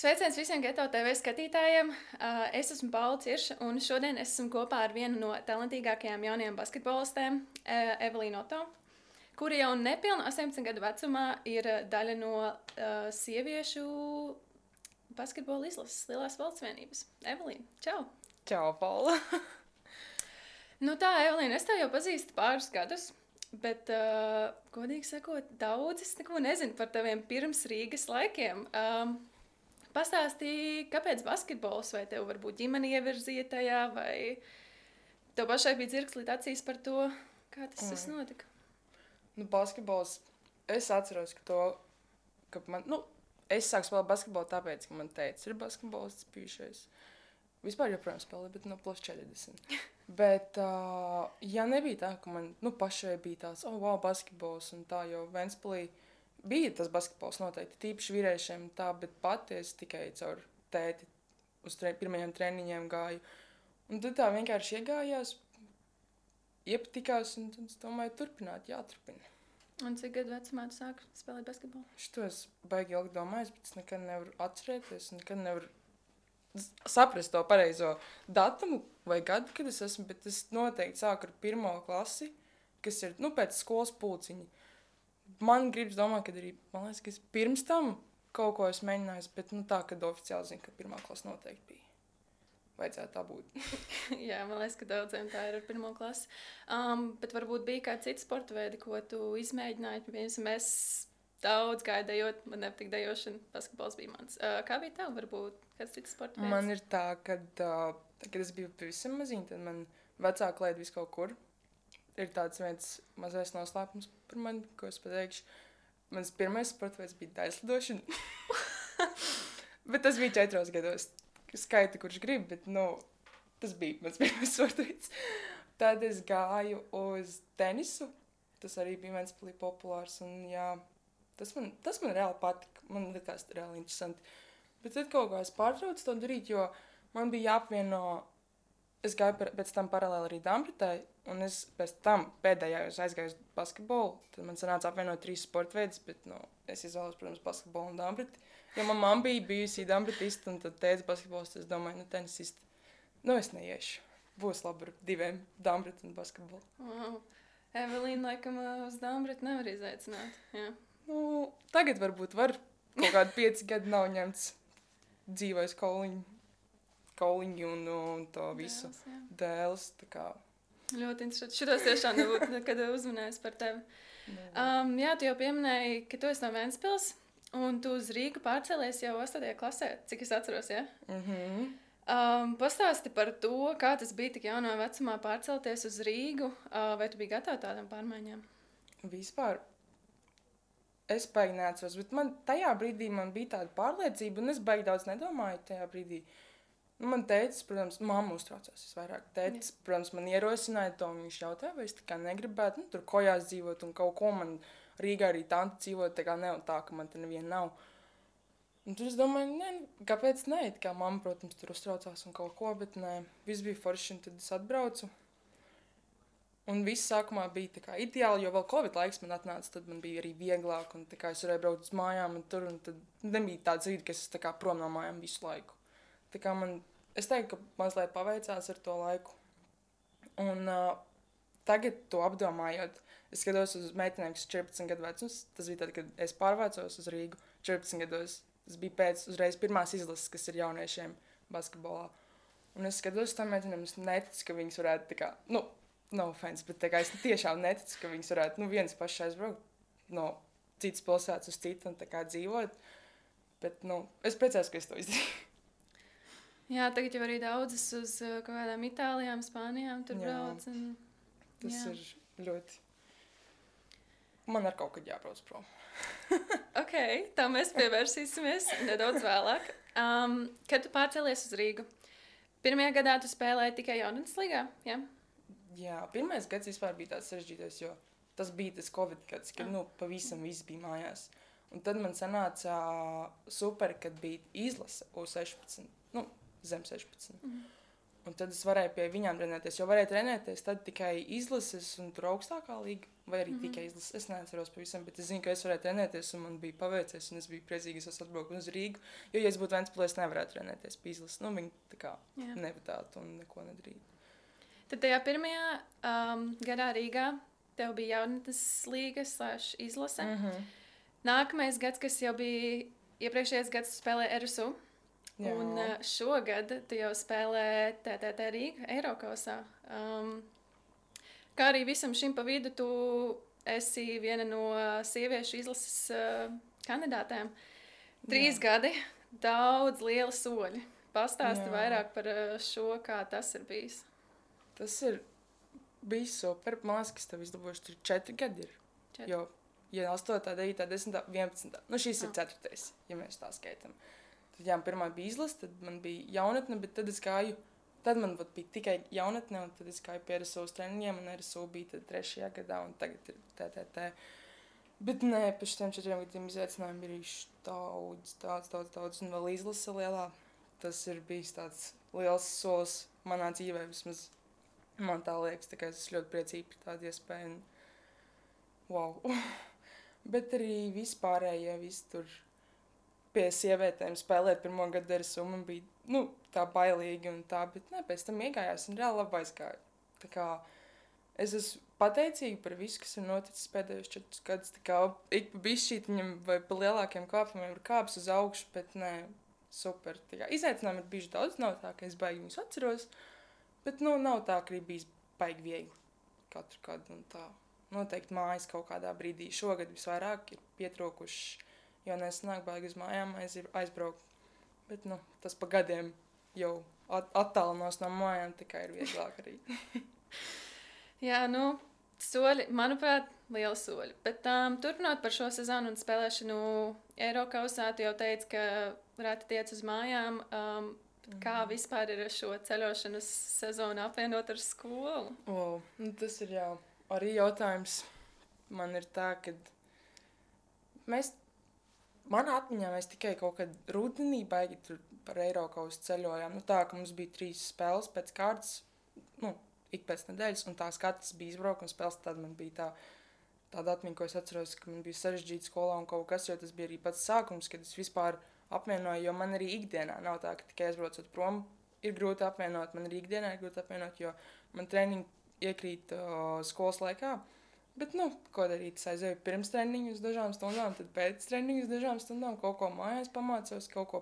Sveiciens visiem Geto TV skatītājiem. Es esmu Paula Cirša, un šodien es esmu kopā ar vienu no talantīgākajām jaunajām basketbolistēm, Evelīnu Oto, kura jau nepilnu 18 gadu vecumā ir daļa no sieviešu basketbola izlases Lielās valsts vienības. Evelīna, čau! Čau, Paula! Nu tā, Evelīna, es tev jau pazīstu pāris gadus, bet, godīgi sakot, daudz es neko nezinu par taviem pirms Rīgas laikiem. Pastāstīji, kāpēc basketbols, vai tev varbūt ģimene ievirzīja tajā, vai tev pašai bija dzirkslīt acīs par to, kā tas notika? Nu, basketbols, es atceros, ka es sāku spēlēt basketbolu tāpēc, ka man teica, ir basketbolists bijušais. Vispār joprojām spēlēju, bet plus 40. Bet, ja nebija tā, ka man, pašai bija tāds, wow, basketbols un tā, jo Ventspilī bija tas basketbols noteikti, tīpaši vīriešiem tā, bet pati es tikai caur tēti uz pirmajiem treniņiem gāju. Un tad tā vienkārši iegājās, iepatikās, un tad es domāju, jāturpina. Un cik gadu vecumā tu sāki spēlēt basketbolu? Šito es baigi ilgi domāju, bet es nekad nevaru atcerēties, nekad nevaru saprast to pareizo datumu vai gadu, kad es esmu, bet es noteikti sāku ar 1. klasi, kas ir, pēc skolas pulciņa. Man gribas domāt, ka arī, man liekas, ka es pirms tam kaut ko esmu mēģinājis, bet tā, kad oficiāli zinu, ka 1. klasa noteikti bija. Vajadzētu tā būt. Jā, man liekas, ka daudziem tā ir ar 1. klasi. Bet varbūt bija kāds cits sporta veidi, ko tu izmēģināji. Piemēram, es daudz gāju dejot, man nepatīk dejošana, basketbols bija mans. Kā bija tev, varbūt kāds cits sporta veids? Man ir tā, kad es biju pavisam maziņa, tad man vecāki laid visu kaut kur. Ir tāds viens mazais noslēpums par mani, ko es pateikšu. Mans pirmais sporta veids bija daļslidošana. Bet tas bija 4 gados. Skaita, kurš grib, bet, tas bija mans pirmais sporta veids. Tad es gāju uz tenisu. Tas arī bija Ventspilī populārs. Un, jā, tas man reāli patika. Man likās reāli interesanti. Bet tad kaut kā es pārtraucu to darīt, jo man bija jāapvieno. Es gāju pēc tam paralēli arī Dambretē, un es pēc tam pēdējā aizgāju uz basketbolu. Tad man sanāca apvienot 3 sporta veidus, bet es izvēlos, protams, basketbolu un Dambreti. Jo man mamma bija bijusi Dambretista, un tad tētis basketbolists, es domāju, tenisista. Es neiešu. Būs labi ar 2 Dambreti un basketbolu. Wow. Evelīna, laikam, uz Dambretu nevar izaicināt. Jā. Tagad varbūt var. Kaut kādi 5 gadi nav ņemts dzīvais kauliņu un to visu dēles. Ļoti interesanti. Šitos tiešām nebūtu nekad uzmanējis par tevi. Jā, tu jau pieminēji, ka tu esi no Ventspils, un tu uz Rīgu pārcēlies jau 8. klasē, cik es atceros, ja? Pastāsti par to, kā tas bija tik jaunā vecumā pārcelties uz Rīgu, vai tu biji gatava tādām pārmaiņām? Vispār es baigi neatceros, bet tajā brīdī man bija tāda pārliecība, un es baigi daudz nedomāju tajā brīdī. Man tētis, protams, mamma uztraucās visvairāk. Tētis, protams, man ierosināja to, un viņš jautāja, vai es negribētu, tur kojās dzīvot, un kaut ko man Rīgā arī tanti dzīvot, tā, ka man te neviena nav. Un tur es domāju, kāpēc ne? Mamma, protams, tur uztraucās un kaut ko, bet nē, viss bija forši, un tad es atbraucu. Un viss sākumā bija ideāli, jo vēl Covid laiks man atnāca, tad man bija arī vieglāk, un es varēju braukt uz mājām, un tad nebija tāds rīd, ka es prom no mājām visu laiku. Es teiktu, ka mazliet paveicās ar to laiku. Un tagad to apdomājot, es skatos uz meitenēm, kas 14 gadu vecums. Tas bija tad, kad es pārvācos uz Rīgu 14 gados. Tas bija pēc uzreiz pirmās izlases, kas ir jauniešiem basketbolā. Un es skatos uz tām meitenēm, es neticu, ka viņas varētu no offense, bet es tiešām neticu, ka viņas varētu vienas pašas aizbraukt no citas pilsētas uz citu un dzīvot. Bet, es priecājos, ka es to izdarīju. Jā, tagad jau arī daudzas uz kaut kādām Itālijām, Spānijām tur brauc. Tas ir ļoti... Man ar kaut kad jābrauc prom. Ok, tā mēs pievērsīsimies nedaudz vēlāk. Kad tu pārcēlies uz Rīgu? Pirmajā gadā tu spēlēji tikai jaunatnes līgā, jā? Jā, pirmais gads vispār bija tāds sarežģītais, jo tas bija tas Covid gads, kad pavisam viss bija mājās. Un tad man sanāca super, kad bija izlase U16. Zem 16. Un tad es varēju pie viņām trenēties, jo varēju trenēties tad tikai izlases un tur augstākā līga, vai arī tikai izlases. Es neatceros pavisam, bet es zinu, ka es varēju trenēties un man bija paveicies, un es biju priecīgi, es esmu atbraukt uz Rīgu, jo, ja es būtu Ventspilī, es nevarētu trenēties pie izlases. Nu, viņi tā kā nevadātu un neko nedarītu. Tad tajā pirmajā gadā Rīgā tev bija jaunatnes līgas / izlase. Nākamais gads, kas jau bija iepriekšējais gads, tu spēlēji RSU. Jā. Un šogad tu jau spēlē TTT Rīga Eirokausā. Kā arī visam šim pa vidu tu esi viena no sieviešu izlases kandidātēm. 3 gadi, daudz liela soļi. Pastāsti vairāk par šo, kā tas ir bijis. Tas ir bijis super. Man liekas, ka tev izdabūšu tur 4 gadi ir. 4. Jo, ja 8, 9, 10, 11. Nu, šīs ir 4, ja mēs tā skaitam. Tad, jā, pirmā bija izlase, tad man bija jaunatne, bet tad es gāju, tad man bija tikai jaunatne, un tad es gāju pie RSU treniņiem, un RSU bija tad 3. gadā, un tagad ir TTT. Bet nē, pēc tiem 4 gadiem izaicinājumi bija daudz, un vēl izlase lielā. Tas ir bijis tāds liels solis manā dzīvē, vismaz man tā liekas, tā kā es esmu ļoti priecīgi par tādu iespēju, un wow. Bet arī vispārējie, visi tur pie sievietēm spēlēt pirmo gadu RSU, man bija, tā bailīgi un tā, bet ne, pēc tam iegājās un reāli labi aizgāju. Tā kā es esmu pateicīga par visu, kas ir noticis pēdējos 4 gadus, tā kā ik pa bišķītiņam vai pa lielākiem kāpumiem ir kāps uz augšu, bet nē, super. Tā kā izaicinājumi ir bijuši daudz, nav tā, ka es baigi viņus atceros, bet, nav tā, ka ir bijis baigi viegli katru gadu un tā. Noteikti mājas kaut kādā brīdī šogad visvairāk ir pietrūkuši, jo nesanāk baigi uz mājām aizbraukt. Bet, tas pa gadiem jau attālinos no mājām, tikai ir vieglāk arī. Jā, soļi, manuprāt, lieli soļi. Bet turpinot par šo sezonu un spēlēšanu Eirokausā, tu jau teici, ka reti tiec uz mājām. Kā vispār ir šo ceļošanas sezonu apvienot ar skolu? Tas ir jau arī jautājums. Man ir tā, ka manā atmiņā mēs tikai kaut kad rudenī baigi tur par Eirokausu ceļojām. Tā, ka mums bija 3 spēles pēc kārtas, ik pēc nedēļas, un tās katras bija izbraukuma spēles, tad man bija tāda atmiņa, ko es atceros, ka man bija sarežģīta skolā un kaut kas, jo tas bija arī pats sākums, kad es vispār apvienoju, jo man arī ikdienā nav tā, ka tikai aizbraucot prom ir grūti apvienot, man arī ikdienā ir grūti apvienot, jo man treniņi iekrīt skolas laikā. Bet, ko darīt, es aizēju pirms treniņu uz dažām stundām, tad pēc treniņu uz dažām stundām, kaut ko mājās pamācos, kaut ko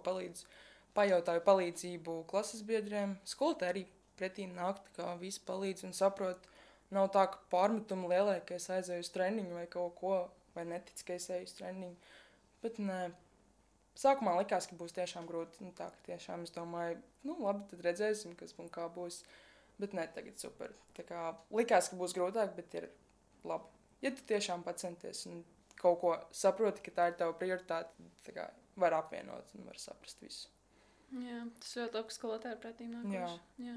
pajautāju palīdzību klases biedriem. Skolotāji arī pretī nāk, tā kā visi palīdz un saprot. Nav tā, ka pārmetumi lielie, ka es aizēju uz treniņu vai kaut ko, vai netic, ka es eju uz treniņu. Bet, nē, sākumā likās, ka būs tiešām grūti. Tā, ka tiešām es domāju, labi, tad redzēsim, kas un kā būs. Bet, nē, tagad super. Tā kā likās, ka būs grūtāk, bet ir labi. Ja tu tiešām pacenties un kaut ko saproti, ka tā ir tava prioritāte, tā kā var apvienot un var saprast visu. Jā, tas ļoti labi skolotāji pretīm nākoši. Jā.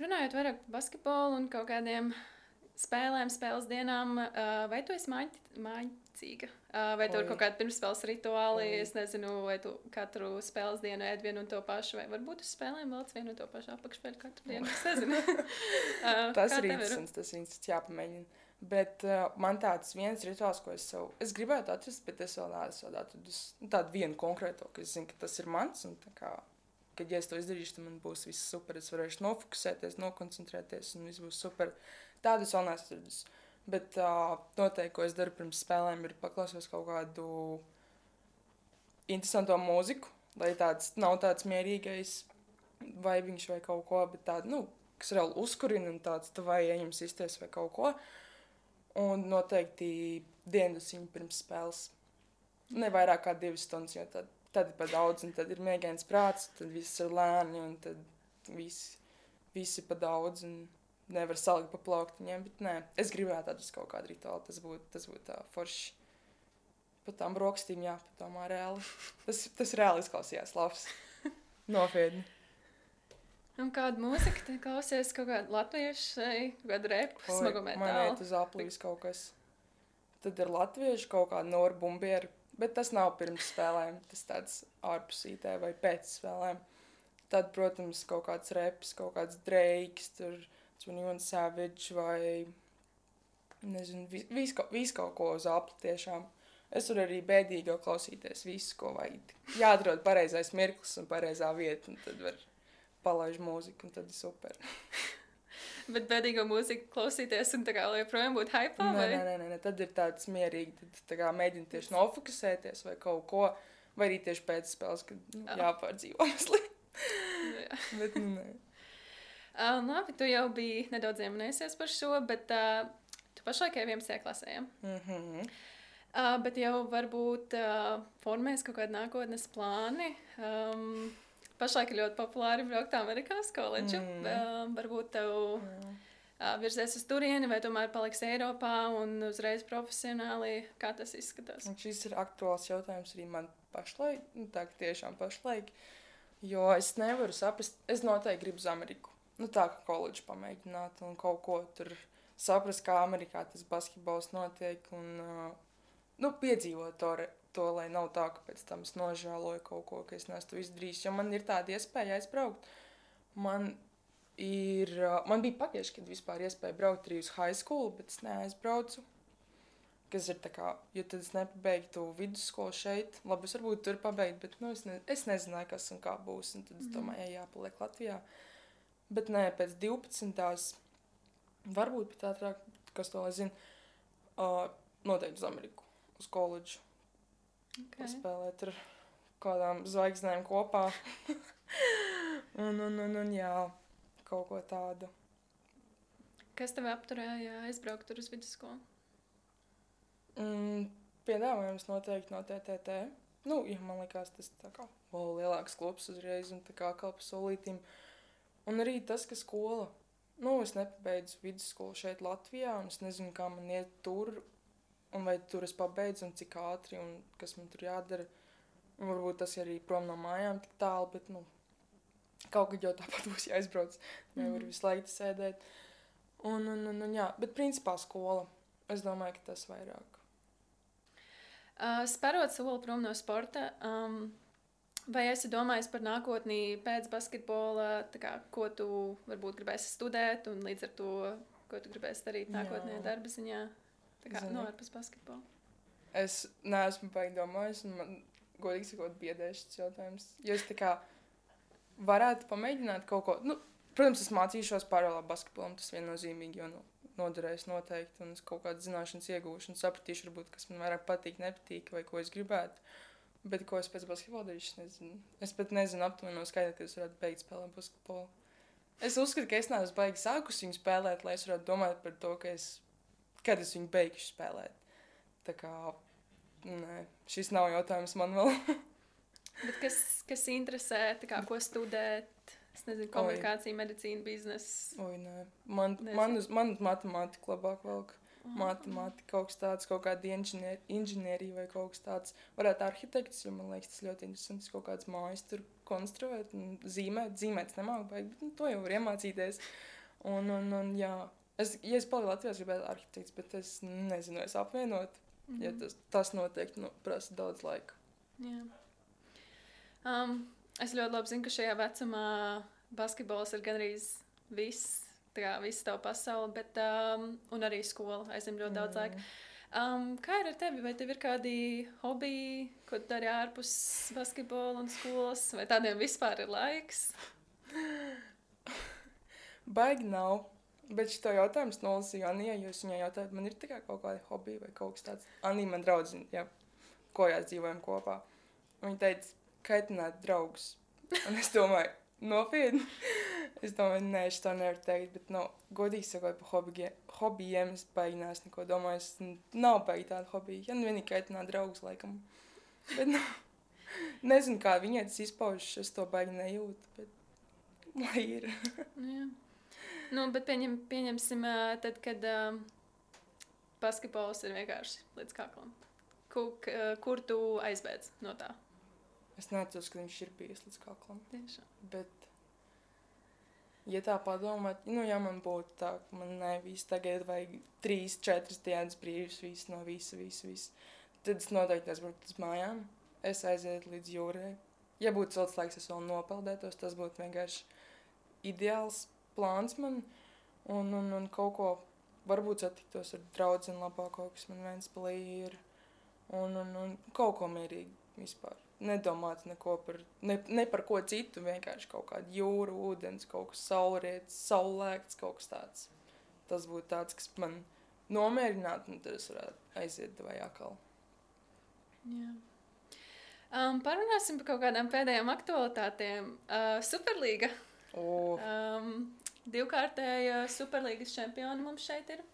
Runājot vairāk par basketbolu un kaut kādiem spēles dienām, vai tu esi mācīga? Vai tev ir kaut kāda pirmspēles rituāli? Es nezinu, vai tu katru spēles dienu ēd vienu un to pašu, vai varbūt uz spēlēm velc vienu un to pašu apakšspēļu katru dienu. Es nezinu. Tas ir interesants, tas jāpamēģina. Bet man tāds viens rituāls, ko es gribētu atrast, bet es vēl neesmu atradusi tādu vienu konkrēto, ka es zinu, ka tas ir mans, un tā kā, kad ja es to izdarīšu, tad man būs viss super, es varēšu nofokusēties, nokoncentrēties, un viss būs super. Tādu es vēl neesmu atradusi. Bet noteikti, ko es daru pirms spēlēm, ir paklausos kaut kādu interesanto mūziku, lai nav tāds mierīgais vaibiņš vai kaut ko, bet tādu, kas reāli uzkurina un tāds vai ejam sistēs vai kaut ko. Un noteikti diendusiņu pirms spēles. Ne vairāk kā 2 stundas, jo tad ir pa daudz, un tad ir miegains prāts, tad viss ir lēni, un tad visi pa daudz, un nevar salikt pa plauktiņiem, bet nē, es gribētu atrast kaut kādu rituālu, tas būtu tā forši. Pa tām brokstīm jāpadomā reāli. Tas reāli izklausījās labs. Nopietni. Un kādu mūziku te klausies? Kaut kādu latviešu vai kādu repu, smagu metālu? Man iet uz aplīs kaut kas. Tad ir latviešu kaut kāda Nora Bumbiera, bet tas nav pirms spēlēm. Tas tāds ārpusītē vai pēc spēlēm. Tad, protams, kaut kāds reps, kaut kāds Drakes, tur 21 Savage vai, nezinu, visu kaut ko uz apli tiešām. Es varu arī bēdīgi klausīties visu, ko vajag. Jāatrod pareizais mirklis un pareizā vieta, un tad var palaiž mūziku, un tad ir super. Bet bēdīgo mūziku klausīties un tā kā joprojām būt hypā, vai? Nē, tad ir tāds mierīgi, tad tā kā mēģina tieši nofokusēties vai kaut ko, vai arī tieši pēc spēles, kad jāpārdzīvo mazliet. Bet, nē. Labi, tu jau biji nedaudz ieminējusies par šo, bet tu pašlaik 11. klasē, ja? Bet jau varbūt formēs kaut kādi nākotnes plāni. Pašlaik ir ļoti populāri braukt Amerikā uz koledžu. Varbūt tev virzies uz turieni, vai tomēr paliks Eiropā un uzreiz profesionāli. Kā tas izskatās? Un šis ir aktuāls jautājums arī man pašlaik, tā ka tiešām pašlaik, jo es nevaru saprast, es noteikti gribu uz Ameriku. Tā kā koledžu pamēģināt un kaut ko tur saprast, kā Amerikā tas basketbols notiek un piedzīvot to, lai nav tā, ka pēc tam es nožēloju kaut ko, ka es neesmu izdarījis, jo man ir tāda iespēja aizbraukt. Man bija pagājuši, kad vispār iespēja braukt arī uz high school, bet es neaizbraucu, kas ir tā kā, jo tad es nepabeigtu vidusskolu šeit, labi, es varbūt tur pabeigtu, bet es nezināju, kas un kā būs, un tad es domāju, jāpaliek Latvijā. Bet nē, pēc 12. varbūt pat ātrāk, kas to lai zina, noteikti uz Ameriku, uz koledžu. Paspēlēt ar kādām zvaigznēm kopā. un jā, kaut ko tādu. Kas tev apturēja aizbraukt tur uz vidusskolu? Piedāvājums noteikti no TTT. Ja man likās tas tā kā lielāks klubs uzreiz un tā kā kalpa solītīm. Un arī tas, ka skola. Es nepabeidzu vidusskolu šeit Latvijā un es nezinu, kā man iet tur. Un vai tur es pabeidzu un cik ātri un kas man tur jādara. Un varbūt tas arī prom no mājām tik tālu, bet kaut kad jau tāpat būs jāizbrauc. Nevar visu laiku sēdēt. Un jā, bet principā skola. Es domāju, ka tas vairāk. Sparot soli prom no sporta, vai esi domājis par nākotnī pēc basketbola, tā kā, ko tu varbūt gribēsi studēt un līdz ar to, ko tu gribēsi darīt nākotnē darba ziņā? Tā kā ārpus basketbola. Es neesmu baigi domājis, un man godīgi sakot biedēs šis jautājums. Jo es tā kā varētu pamēģināt kaut ko. Protams, es mācīšos paralēli basketbolam, tas viennozīmīgi, jo noderēs noteikti, un es kaut kādas zināšanas iegūšu un sapratīšu, varbūt, kas man vairāk patīk, nepatīk, vai ko es gribētu. Bet ko es pēc basketbola darīšu, es nezinu. Es pat nezinu aptuveni no skaidra, ka es varētu beigt spēlēt basketbolu. Es uzskatu, ka es neesmu baigi sākus viņu spēlēt, lai es varētu domāt par to, kad es viņu beigšu spēlēt. Tā kā, šis nav jautājums man vēl. Bet kas interesē, tā kā, ko studēt? Es nezinu, komunikācija, medicīna, bizness. Nē. Man uz matemātiku labāk velk. Matemātika, kaut kas tāds, kaut kāda inženierija vai kaut kas tāds. Varētu arhitekts, jo man liekas, tas ļoti interesants, kaut kāds mājas tur konstruēt un zīmēt. Zīmēt es nemāku baigi, bet to jau var iemācīties. Un jā. Ja es paliku Latvijā, es gribētu arhitekts, bet es nezinu, es apvienot, ja tas noteikti prasa daudz laika. Jā. Es ļoti labi zinu, ka šajā vecumā basketbols ir gandrīz viss, tā kā viss tavu pasauli, bet un arī skola aizņem ļoti daudz laika. Kā ir ar tevi? Vai tev ir kādi hobiji, ko tu dari ārpus basketbola un skolas, vai tādiem vispār ir laiks? Baigi nav. Bet šito jautājums nolasīju Anijai, jo es viņai jautāju, man ir tā kā kaut kādi hobiji vai kaut kas tāds. Anija man draudzina, jā, kojās dzīvojam kopā. Viņa teica, kaitināt draugus. Un es domāju, nopietni. Es domāju, nē, es to nevaru teikt, bet godīgi sakot par hobijiem es baigi neesmu neko domājis. Nav baigi tāda hobija. Ja vienīgi kaitināt draugus, laikam. Bet, nezinu, kā viņai tas izpaužas, es to baigi nejūtu, bet lai ir. Jā. Bet pieņemsim, tad, kad basketbols ir vienkārši līdz kaklam. Kur tu aizbēdz no tā? Es neatceros, ka viņš ir bijis līdz kaklam. Tiešām. Bet, ja tā padomāt, ja man būtu tā, ka man visu tagad vajag 3-4 dienas brīvs, visu no visu, tad es noteikti aizbraukt uz mājām. Es aizietu līdz jūrai. ja būtu silts laiks, es vēl nopeldētos, tas būtu vienkārši ideāls plāns man. Un kaut ko, varbūt satiktos ar draudzeni labāk, kaut kas man Ventspilī ir. Un kaut ko mierīgi vispār. Nedomāt neko ne par ko citu, vienkārši kaut kāda jūra, ūdens, kaut kas saulrietis, saulēkts, kaut kas tāds. Tas būtu tāds, kas man nomierinātu, un tad es varētu aiziet vai atkal. Jā. Parunāsim par kaut kādām pēdējām aktualitātēm. Superlīga. Divkārtēja Superlīgas čempioni mums šeit ir.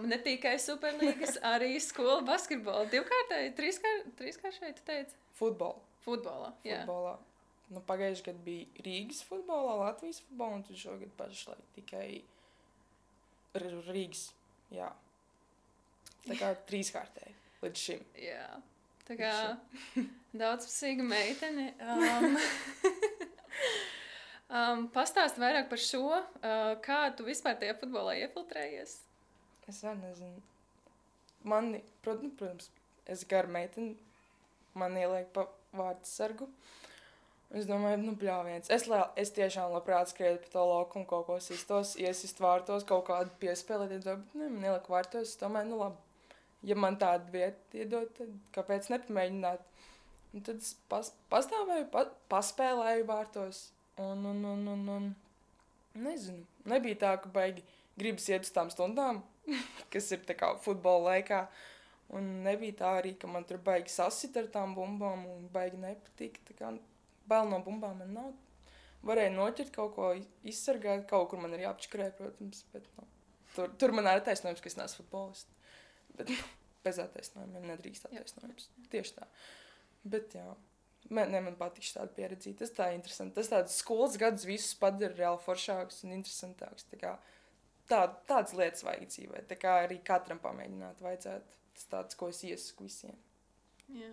Ne tikai Superlīgas, arī skolu basketbolu. Divkārtēji, trīskāršēji, tu teici? Futbolā, jā. Futbolā. Nu, pagājuši gadu bija Rīgas futbolā, Latvijas futbolā, un tad šogad pašlaik tikai Rīgas, jā. Tā kā trīskārtēji līdz šim. Jā, tā kā daudzpusīga meitene. Pastāst vairāk par šo, kā tu vispār tajā futbolā iefiltrējies? Es vēl nezinu. Mani, protams, es garu meiteni, man ieliek pa vārdsargu. Es domāju, bļāviens. Es tiešām labprāt skrietu pa to laukumu, kaut ko sistos, iesist vārtos, kaut kādu piespēlēt, bet man ieliek vārtos, es domāju, labi. Ja man tādu vietu iedod, tad kāpēc nepamēģināt? Un tad es pastāvēju, paspēlēju vārtos. Un nezinu, nebija tā, ka baigi gribas iet uz tām stundām, kas ir tā kā futbola laikā. Un nebija tā arī, ka man tur baigi sasit ar tām bumbām un baigi nepatika. Tā kā bail no bumbām man nav. Varēja noķert kaut ko, izsargāt, kaut kur man ir jāapčakarē, protams, bet tur man ir attaisnojums, ka es neesmu futbolists. Bet bez attaisnojumiem nedrīkst attaisnojums. Tieši tā. Bet jā, man patīk šāda pieredzība. Tas tā interesanti. Tas tāds skolas gadus visus padara reāli foršāks un interesantāks. Tā kā tādas lietas vajag dzīvē. Tā kā arī katram pamēģināt vajadzētu. Tas tāds, ko es iesaku visiem. Jā.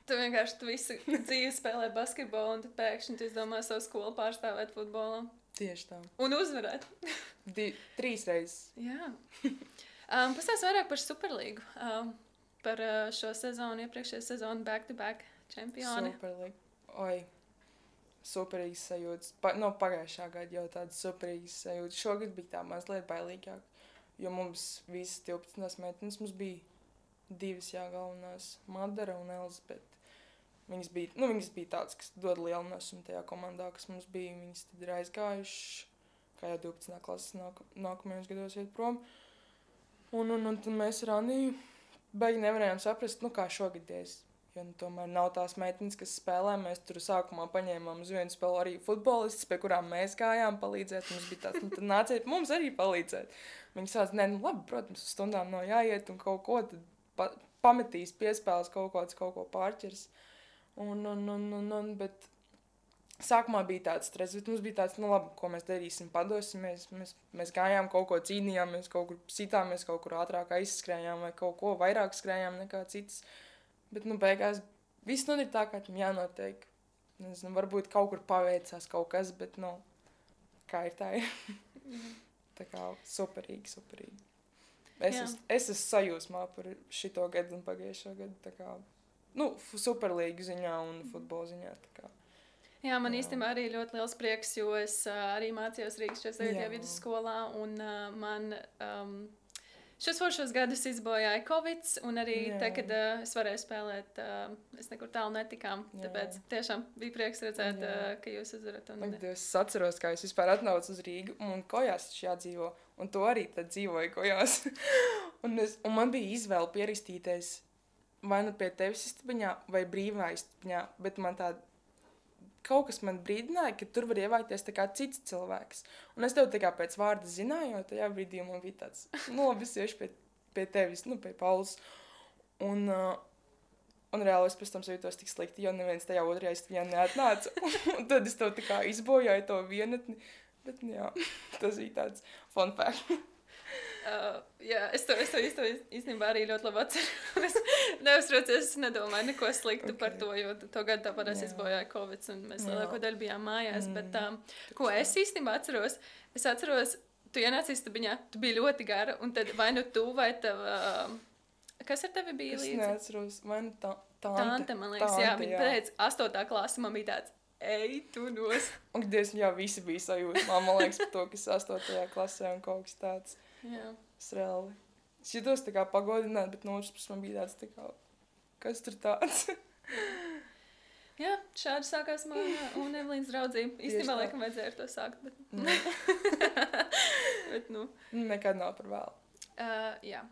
Tu vienkārši visu dzīvi spēlē basketbolu, un tad pēkšņi tu izdomā savu skolu pārstāvēt futbolā. Tieši tā. Un uzvarēt. 3 reizes. Jā. Pastāst vairāk par Superlīgu. Par šo sezonu, iepriekšējo sezonu back-to-back čempioni. Superlīga. Superīgas sajūtas. Pagājušā gada jau tādas superīgas sajūtas. Šogad bija tā mazliet bailīgāk, jo mums visas 12 meitenes mums bija 2 galvenās, Madara un Elizabete. Viņas bija tādas, kas dod lielu nesumu tajā komandā, kas mums bija. Viņas tad ir aizgājuši, kā jau 12. klases nākamajos gados iet prom. Un tad mēs ar Aniju baigi nevarējām saprast, kā šogad ies. Jo tomēr nav tās meitenes, kas spēlē. Mēs tur sākumā paņēmām uz vienu spēlu arī futbolistus, pie kurām mēs gājām palīdzēt. Mums bija tāds, tad nāciet mums arī palīdzēt. Viņi sāc, labi, protams, uz stundām nav jāiet un kaut ko, tad pametīs piespēles kaut ko pārķers. Bet sākumā bija tāds stress, bet mums bija tāds, labi, ko mēs darīsim, padosimies. Mēs gājām, kaut ko cīnījāmies, kaut kur sitāmies, kaut kur ātrāk aizskrējām vai kaut ko vairāk skrējām nekā citas. Bet, beigās viss ir tā, kā tam jānotiek. Nezinu, varbūt kaut kur paveicās kaut kas, bet, kā ir tā ir. Tā kā superīgi. Es esmu sajūsmā par šito gadu un pagājušo gadu, tā kā, superlīgu ziņā un futbola ziņā, tā kā. Jā, man īstenībā arī ļoti liels prieks, jo es arī mācījos Rīgas 4. vidusskolā, un man šos foršos gadus izbojāja Covid, un arī te, kad es varēju spēlēt, es nekur tālu netikām, tāpēc tiešām bija prieks redzēt, ka jūs uzvarat. Es atceros, kā es vispār atnācu uz Rīgu, un Kojās taču jādzīvo, un to arī tad dzīvoju Kojās. un man bija izvēle pierakstīties vai pie tevis istabiņā, vai brīvā istabiņā, bet man tāda kaut kas man brīdināja, ka tur var ievākties tā kā cits cilvēks. Un es tev tā kā pēc vārda zināju, jo tajā brīdī man bija tāds, labi, es iešu pie tevis, pie Paulas. Un reāli es pēc tam sajūtos tik slikti, jo neviens tajā otrajā istabiņā neatnāca. Un tad es tev tā kā izbojāju to vienatni. Bet, tas bija tāds fun fact. Jā, es to īstenībā arī ļoti labi atceros. Neuztraucies, es nedomāju neko sliktu par to, jo to gadu tāpat es izbojāju Covid, un mēs lielāko daļu bijām mājās. Bet, ko es īstenībā atceros, tu ienāci istabiņā, tu biji ļoti gara, un tad vai tu vai tev... Kas ar tevi bija līdzi? Es neatceros, vai Tante, man liekas, jā, viņa teica, 8. klase man bija tāds, ej, tu nos. Un, Dievs, jā, visi bija sajūta. Man liekas par to, kas 8. klasē un kaut kas tāds. Jā. Es reāli. Es jutos tā kā pagodināt, bet no otras puses man bija tāds tā kā, kas tur tāds? Jā, šādi sākās mana un Evelīnas draudzība. Īstenībā, laikam, vajadzēja ar to sākt, bet... bet, nu... Nekad nav par vēlu. Jā.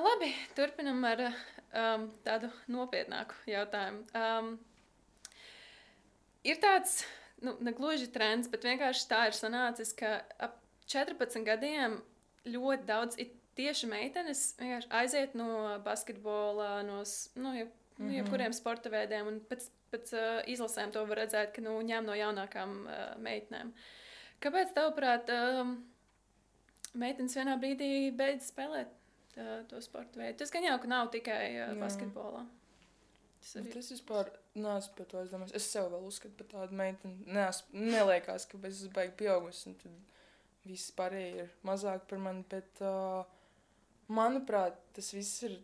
Labi, turpinam ar tādu nopietnāku jautājumu. Ir tāds, nu, ne gluži trends, bet vienkārši tā ir sanācis, ka ap 14 gadiem ļoti daudz ir tieši meitenes vienkārši aiziet no basketbola, no jebkuriem sporta veidiem, un pēc izlasēm to var redzēt, ka ņem no jaunākām meitenēm. Kāpēc, tavuprāt, meitenes vienā brīdī beidz spēlēt to sporta veidu? Tas gan jau, ka nav tikai basketbolā. Tas vispār neesmu par to aizdomājis. Es sev vēl uzskatu par tādu meiteni. Neliekās, ka es baigi pieaugusi, un tad viss pārējie ir mazāk par mani, bet manuprāt, tas viss ir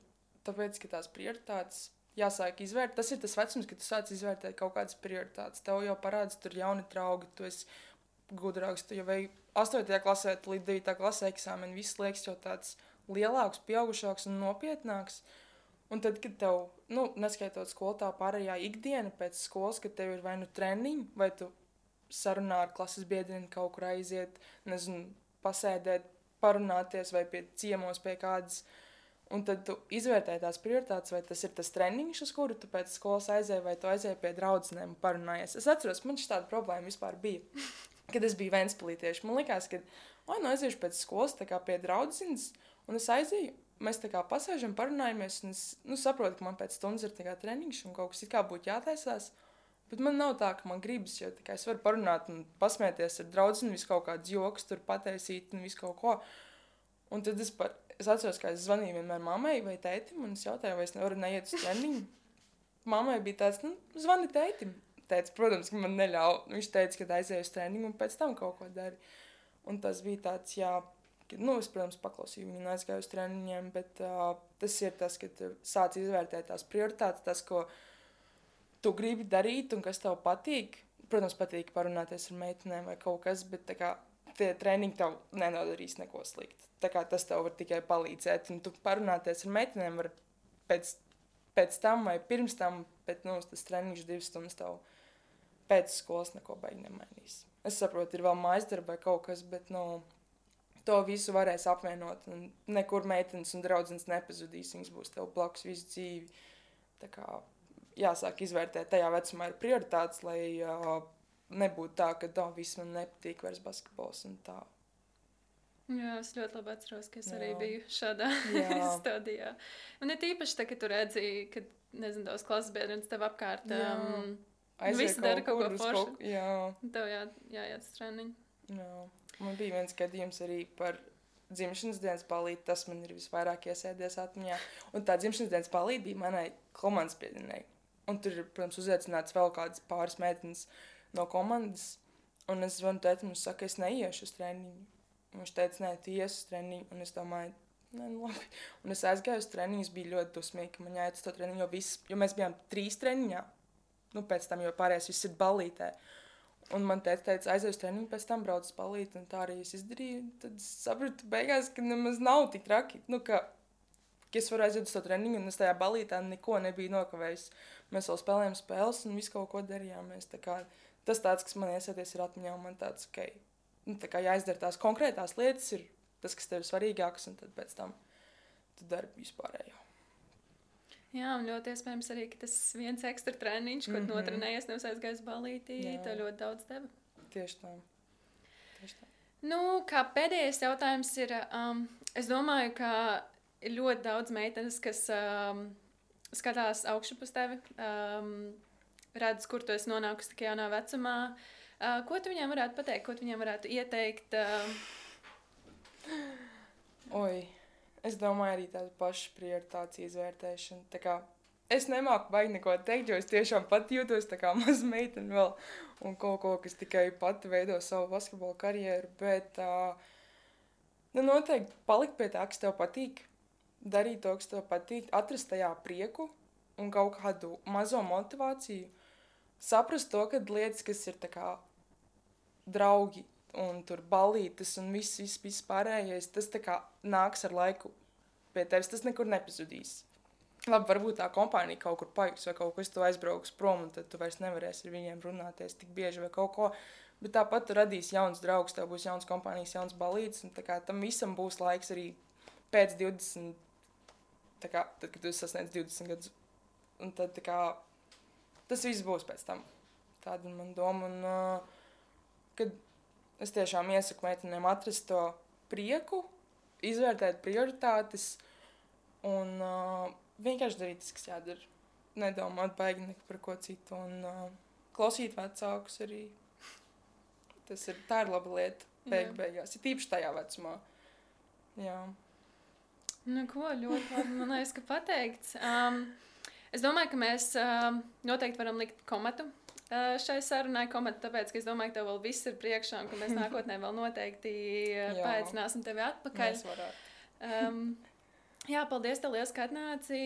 tāpēc, ka tās prioritātes jāsāk izvērt. Tas ir tas vecums, kad tu sāc izvērtēt kaut kādas prioritātes. Tev jau parādās tur jauni draugi, tu esi gudrāks, tu jau veik 8. klasē līdz 9. klasē eksāmeni, viss liekas jau tāds lielāks, pieaugušāks un nopietnāks. Un tad, kad tev, neskaitot skolu, tā pārējā ikdiena pēc skolas, kad tev ir vai nu treniņi, vai tu sarunā ar klases biedriem kaut kur aiziet, nezinu, pasēdēt, parunāties vai pie ciemos pie kādas. Un tad tu izvērtē tās prioritātes, vai tas ir tas treniņš, uz kuru tu pēc skolas aizēji, vai tu aizēji pie draudzenēm un parunājies. Es atceros, man šāda problēma vispār bija, kad es biju Ventspilī tieši. Man likās, ka aiziešu pēc skolas tā kā pie draudzenes, un es aizēju, mēs tā kā pasēžam, parunājamies, un es saprotu, ka man pēc stundas ir tā kā treniņš un kaut kas it kā būtu jātaisās. Bet man nav tā, ka man gribas, jo tikai es varu parunāt un pasmēties ar draudzeni, visu kaut kādus joks tur pataisīt un visu kaut ko. Un tad es atceros, ka es zvanīju vienmēr mammai vai tētim, un es jautāju, vai es nevaru neiet uz treniņu. Mammai bija tāds, zvani tētim. Tētis, protams, ka man neļauj. Viņš teica, ka aizēju uz treniņu un pēc tam kaut ko dari. Un tas bija tāds, jā, ka, es, protams, paklausīju viņu un aizgāju uz treniņiem, bet tas ir tas, ka tu sāc izvērtēt tās prioritātes, tas, ko tu gribi darīt un kas tev patīk. Protams, patīk parunāties ar meitenēm vai kaut kas, bet tā kā tie treniņi tev nenodarīs neko sliktu. Tā kā tas tev var tikai palīdzēt, un tu parunāties ar meitenēm var pēc tam vai pirms tam, bet, tas treniņš 2 stundas tev pēc skolas neko baigi nemainīs. Es saprotu, ir vēl mājasdarba vai kaut kas, bet, to visu varēs apvienot, un nekur meitenes un draudzenes nepazudīs, viņas būs tev blakus visu dzīvi. Tā kā jāsāk izvērtēt tajā vecumā ir prioritātes, lai nebūtu tā, ka viss man nepatīk vairs basketbols un tā. Jā, es ļoti labi atceros, ka es arī biju šādā stadijā. Un ir tīpaši tā, ka tu redzi, ka, nezinu, tavs klases biedrienes tev apkārt visi dara kaut ko foršu. Tev jāiet uz treniņu. Jā. Man bija viens gadījums arī par dzimšanas dienas balīti, tas man ir visvairāk iesēdies atmiņā. Un tā dzimšanas dienas balīti bija manai komandas biedrinei. Un tur ir, protams, uzaicināts vēl kādas pāris meitenes no komandas. Un es zvanu tētim un saku, es neiešu uz treniņu. Un viņš teica, nē, tu ies uz treniņu. Un es domāju, nē, labi. Un es aizgāju uz treniņu, es biju ļoti dusmīgi, ka man jāiet uz to treniņu, jo mēs bijām 3 treniņā. Pēc tam, jo pārējais viss ir balītē. Un man teica, aizēju uz treniņu, pēc tam brauc uz balīti, un tā arī es izdarīju. Tad es sapratu beigās, ka nemaz nav tik traki. Ka es varu aiziet uz to treniņu, un es tajā balītā neko nebiju nokavējis. Mēs vēl spēlējām spēles, un visu kaut ko darījām. Tas tāds, kas man iesēties ir atmiņā, un man tāds, ka tā kā jāizdara tās konkrētās lietas, ir tas, kas tev ir svarīgāks, un tad pēc tam tu dari vispārējo. Jā, un ļoti iespējams arī, ka tas viens ekstra treniņš, ko tu notrenējies, nevis aizgājis balītī, tev ļoti daudz deva. Tieši tā. Kā pēdējais jautājums ir, es domāju, ka ir ļoti daudz meitenes, kas skatās augšup uz tevi, redz, kur tu esi nonākusi tik jaunā vecumā. Ko tu viņiem varētu pateikt, ko tu viņiem varētu ieteikt? Es domāju arī tādu pašu prioritāciju izvērtēšanu. Tā kā es nemāku baigi neko teikt, jo es tiešām pat jūtos tā kā maza meitene vēl un kaut ko, kas tikai pati veido savu basketbola karjeru, bet noteikti palikt pie tā, kas tev patīk. darīt to, kas tev patīk, atrast tajā prieku un kaut kādu mazo motivāciju. Saprast to, ka lietas, kas ir tā kā draugi un tur balītes un viss pārējais, tas tā kā nāks ar laiku pie tevis, tas nekur nepazudīs. Labi, varbūt tā kompānija kaut kur paiks vai kaut kas tu aizbrauks prom, un tad tu vairs nevarēsi ar viņiem runāties tik bieži vai kaut ko. Bet tāpat tu radīsi jauns draugs, tev būs jauns kompānijas, jauns balītes, un tā kā tam visam būs laiks arī pēc 20, tā kā, tad, kad tu sasniedz 20 gadus. Un tad tā kā tas viss būs pēc tam. Tāda man doma, un kad es tiešām iesaku meitenēm atrast to prieku, izvērtēt prioritātes un vienkārši darīt tas, kas jādara. Nedomāt baigi par ko citu un klausīt vecākus arī. Tā ir laba lieta beigās. Ir tīpaši tajā vecumā. Jā. Nu ko, ļoti labi, man liekas, ka pateikts. Es domāju, ka mēs noteikti varam likt komatu šai sarunai. Komatu tāpēc, ka es domāju, ka tev vēl viss ir priekšā un ka mēs nākotnē vēl noteikti paaicināsim tevi atpakaļ. Mēs varētu. Jā, paldies tev liels, ka atnāci.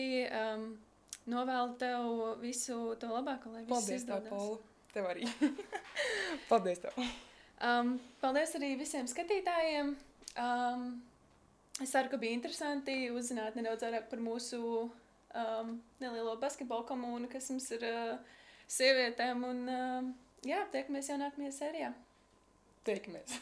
Novēlu tev visu to labāko, lai viss izdodas. Paldies tev, Paula. Tev arī. Paldies tev. Paldies arī visiem skatītājiem. Es ceru, ka bija interesanti uzzināt nedaudz vairāk par mūsu nelielo basketbolu komunu, kas mums ir sievietēm. Un, jā, tiekamies jau nākamajā sērijā. Tiekamies.